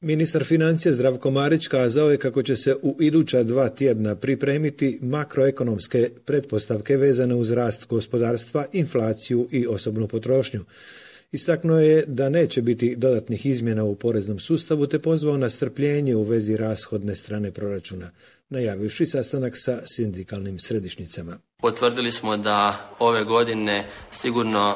Ministar financija Zdravko Marić kazao je kako će se u iduća 2 tjedna pripremiti makroekonomske pretpostavke vezane uz rast gospodarstva, inflaciju i osobnu potrošnju. Istaknuo je da neće biti dodatnih izmjena u poreznom sustavu te pozvao na strpljenje u vezi rashodne strane proračuna, najavivši sastanak sa sindikalnim središnjicama. Potvrdili smo da ove godine sigurno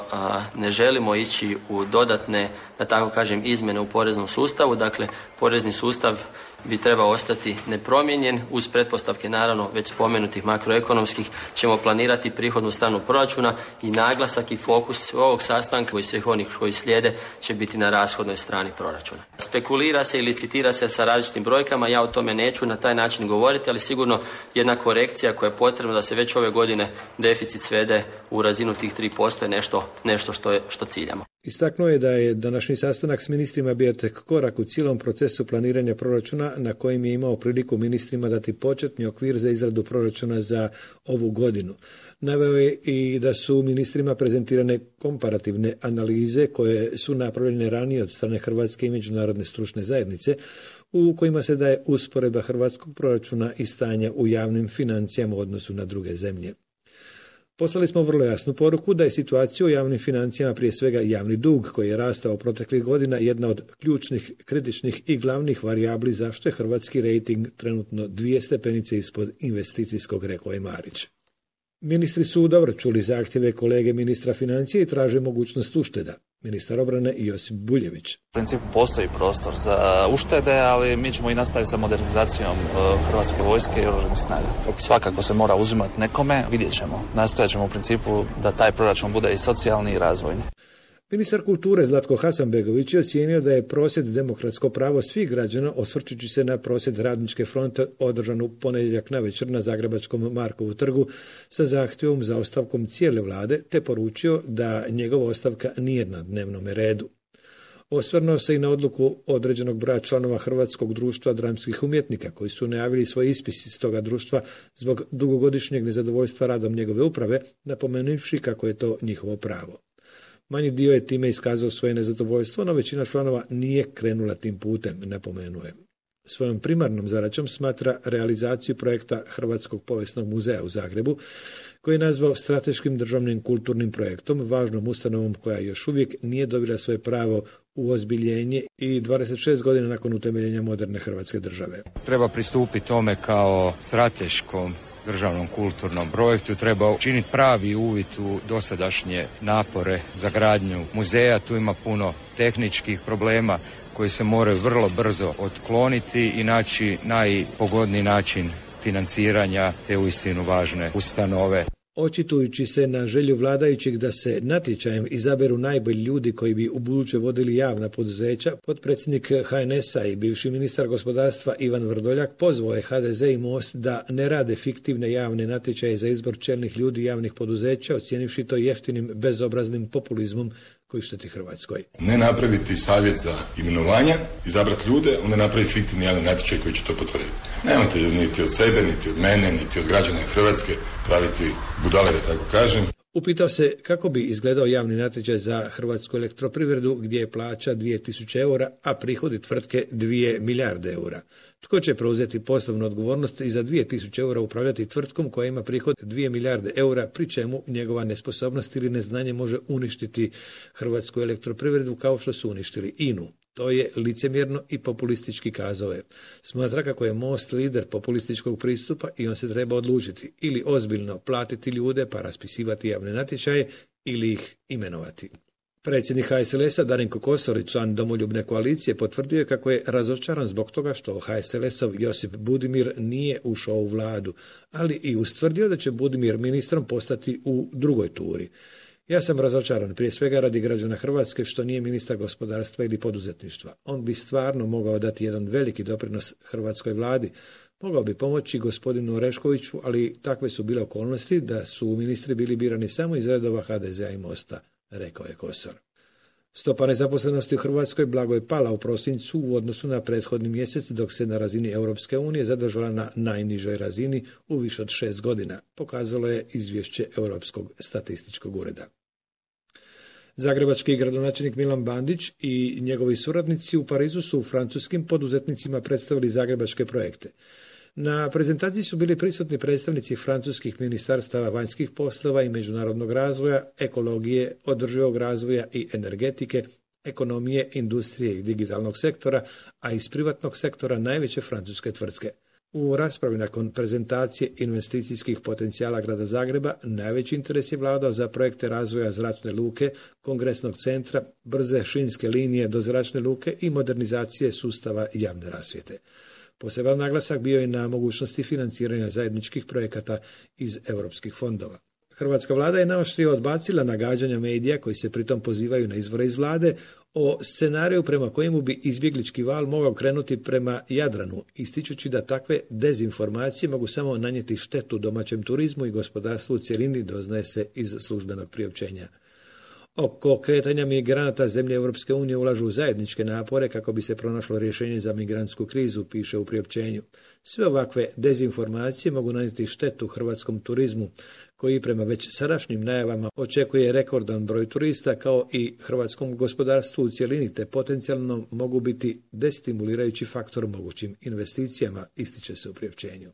ne želimo ići u dodatne, da tako kažem, izmjene u poreznom sustavu. Dakle, porezni sustav bi trebao ostati nepromijenjen. Uz pretpostavke, naravno, već spomenutih makroekonomskih, ćemo planirati prihodnu stranu proračuna i naglasak i fokus ovog sastanka i svih onih koji slijede će biti na rashodnoj strani proračuna. Spekulira se i licitira se sa različitim brojkama, ja o tome neću na taj način govoriti, ali sigurno jedna korekcija koja je potrebna da se već ove godine deficit svede u razinu tih 3% je nešto što ciljamo. Istaknuo je da je današnji sastanak s ministrima bio tek korak u cijelom procesu planiranja proračuna na kojim je imao priliku ministrima dati početni okvir za izradu proračuna za ovu godinu. Naveo je i da su ministrima prezentirane komparativne analize koje su napravljene ranije od strane Hrvatske i međunarodne stručne zajednice u kojima se daje usporedba hrvatskog proračuna i stanja u javnim financijama u odnosu na druge zemlje. Poslali smo vrlo jasnu poruku da je situacija u javnim financijama, prije svega javni dug koji je rastao proteklih godina, jedna od ključnih, kritičnih i glavnih varijabli zašto je hrvatski rejting trenutno 2 stepenice ispod investicijskog, rekao je Marić. Ministri su dobro čuli zahtjeve kolege ministra financija i traže mogućnost ušteda. Ministar obrane Josip Buljević. U principu postoji prostor za uštede, ali mi ćemo i nastaviti sa modernizacijom Hrvatske vojske i oružanih snaga. Svakako se mora uzimati nekome, vidjet ćemo. Nastojat ćemo u principu da taj proračun bude i socijalni i razvojni. Ministar kulture Zlatko Hasanbegović je ocijenio da je prosvjed demokratsko pravo svih građana, osvrćući se na prosvjed Radničke fronte održan u ponedjeljak navečer na Zagrebačkom Markovu trgu sa zahtjevom za ostavkom cijele vlade, te poručio da njegova ostavka nije na dnevnom redu. Osvrnuo se i na odluku određenog broja članova Hrvatskog društva dramskih umjetnika koji su najavili svoj ispis iz toga društva zbog dugogodišnjeg nezadovoljstva radom njegove uprave, napomenuvši kako je to njihovo pravo. Manji dio je time iskazao svoje nezadovoljstvo, no većina članova nije krenula tim putem, napomenuo je. Svojom primarnom zadaćom smatra realizaciju projekta Hrvatskog povijesnog muzeja u Zagrebu, koji je nazvao strateškim državnim kulturnim projektom, važnom ustanovom koja još uvijek nije dobila svoje pravo u ozbiljenje i 26 godina nakon utemeljenja moderne Hrvatske države. Treba pristupiti tome kao strateškom državnom kulturnom projektu, treba učiniti pravi uvid u dosadašnje napore za gradnju muzeja. Tu ima puno tehničkih problema koji se moraju vrlo brzo otkloniti i naći najpogodniji način financiranja te uistinu važne ustanove. Očitujući se na želju vladajućih da se natječajem izaberu najbolji ljudi koji bi ubuduće vodili javna poduzeća, potpredsjednik HNS-a i bivši ministar gospodarstva Ivan Vrdoljak pozvao je HDZ i Most da ne rade fiktivne javne natječaje za izbor čelnih ljudi javnih poduzeća, ocijenivši to jeftinim, bezobraznim populizmom koji šteti Hrvatskoj. Ne napraviti savjet za imenovanja, izabrati ljude, onda napraviti fiktivni javni natječaj koji će to potvrditi. Nemojte niti od sebe, niti od mene, niti od građana Hrvatske praviti budale, da tako kažem. Upitao se kako bi izgledao javni natječaj za Hrvatsku elektroprivredu gdje je plaća 2000 eura, a prihodi tvrtke 2 milijarde eura. Tko će preuzeti poslovnu odgovornost i za 2000 eura upravljati tvrtkom koja ima prihod 2 milijarde eura, pri čemu njegova nesposobnost ili neznanje može uništiti Hrvatsku elektroprivredu kao što su uništili INA-u. To je licemjerno i populistički, kazao je. Smatra kako je Most lider populističkog pristupa i on se treba odlučiti ili ozbiljno platiti ljude pa raspisivati javne natječaje ili ih imenovati. Predsjednik HSLS-a Darinko Kosor i član Domoljubne koalicije potvrdio je kako je razočaran zbog toga što HSLS-ov Josip Budimir nije ušao u vladu, ali i ustvrdio da će Budimir ministrom postati u drugoj turi. Ja sam razočaran, prije svega radi građana Hrvatske, što nije ministar gospodarstva ili poduzetništva. On bi stvarno mogao dati jedan veliki doprinos hrvatskoj vladi. Mogao bi pomoći gospodinu Oreškoviću, ali takve su bile okolnosti da su ministri bili birani samo iz redova HDZ-a i Mosta, rekao je Kosor. Stopa nezaposlenosti u Hrvatskoj blago je pala u prosincu u odnosu na prethodni mjesec, dok se na razini Europske unije zadržala na najnižoj razini u više od 6 godina, pokazalo je izvješće Europskog statističkog ureda. Zagrebački gradonačelnik Milan Bandić i njegovi suradnici u Parizu su francuskim poduzetnicima predstavili zagrebačke projekte. Na prezentaciji su bili prisutni predstavnici francuskih ministarstava vanjskih poslova i međunarodnog razvoja, ekologije, održivog razvoja i energetike, ekonomije, industrije i digitalnog sektora, a iz privatnog sektora najveće francuske tvrtke. U raspravi nakon prezentacije investicijskih potencijala grada Zagreba najveći interes je vladao za projekte razvoja zračne luke, kongresnog centra, brze šinske linije do zračne luke i modernizacije sustava javne rasvjete. Poseban naglasak bio je na mogućnosti financiranja zajedničkih projekata iz europskih fondova. Hrvatska vlada je naoštrije odbacila nagađanja medija koji se pritom pozivaju na izvore iz vlade o scenariju prema kojemu bi izbjeglički val mogao krenuti prema Jadranu, ističući da takve dezinformacije mogu samo nanijeti štetu domaćem turizmu i gospodarstvu u cjelini, doznaje se iz službenog priopćenja. Oko kretanja migranata zemlje Europske unije ulažu zajedničke napore kako bi se pronašlo rješenje za migrantsku krizu, piše u priopćenju. Sve ovakve dezinformacije mogu nanijeti štetu hrvatskom turizmu, koji prema već sadašnjim najavama očekuje rekordan broj turista, kao i hrvatskom gospodarstvu u cjelini, te potencijalno mogu biti destimulirajući faktor mogućim investicijama, ističe se u priopćenju.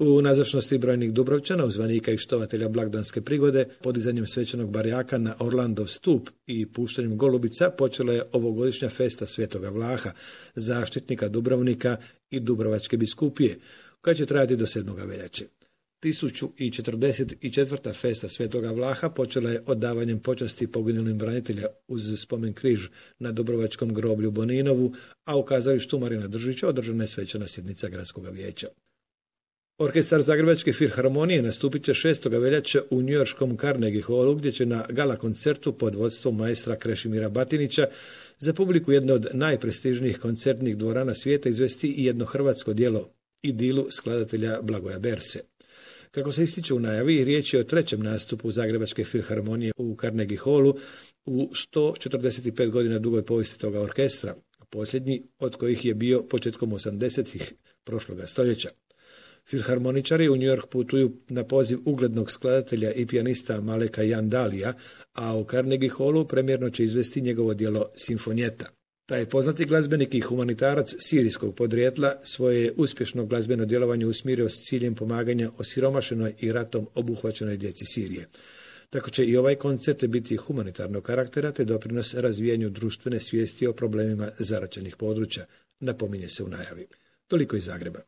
U nazočnosti brojnih Dubrovčana, uzvanika i štovatelja blagdanske prigode, podizanjem svečanog barjaka na Orlandov stup i puštanjem golubica počela je ovogodišnja festa Svetoga Vlaha, zaštitnika Dubrovnika i Dubrovačke biskupije, koja će trajati do 7. veljače. 1044. festa Svetoga Vlaha počela je oddavanjem počasti poginulim branitelja uz spomen križ na Dubrovačkom groblju Boninovu, a u kazalištu Marina Držića održana je svečana sjednica gradskog vijeća. Orkestar Zagrebačke filharmonije nastupit će 6. veljače u njujorškom Carnegie Hallu, gdje će na gala koncertu pod vodstvom maestra Krešimira Batinića za publiku jedne od najprestižnijih koncertnih dvorana svijeta izvesti i jedno hrvatsko djelo, Idilu skladatelja Blagoja Berse. Kako se ističe u najavi, riječ je o trećem nastupu Zagrebačke filharmonije u Carnegie Hallu u 145 godina dugoj povijesti toga orkestra, posljednji od kojih je bio početkom 80-ih prošloga stoljeća. Filharmoničari u New York putuju na poziv uglednog skladatelja i pijanista Maleka Jandalija, a u Carnegie Hallu premjerno će izvesti njegovo djelo Simfonijeta. Taj poznati glazbenik i humanitarac sirijskog podrijetla svoje je uspješno glazbeno djelovanje usmjerio s ciljem pomaganja osiromašenoj i ratom obuhvaćenoj djeci Sirije. Tako će i ovaj koncert biti humanitarnog karaktera te doprinos razvijanju društvene svijesti o problemima zaraćenih područja, napominje se u najavi. Toliko iz Zagreba.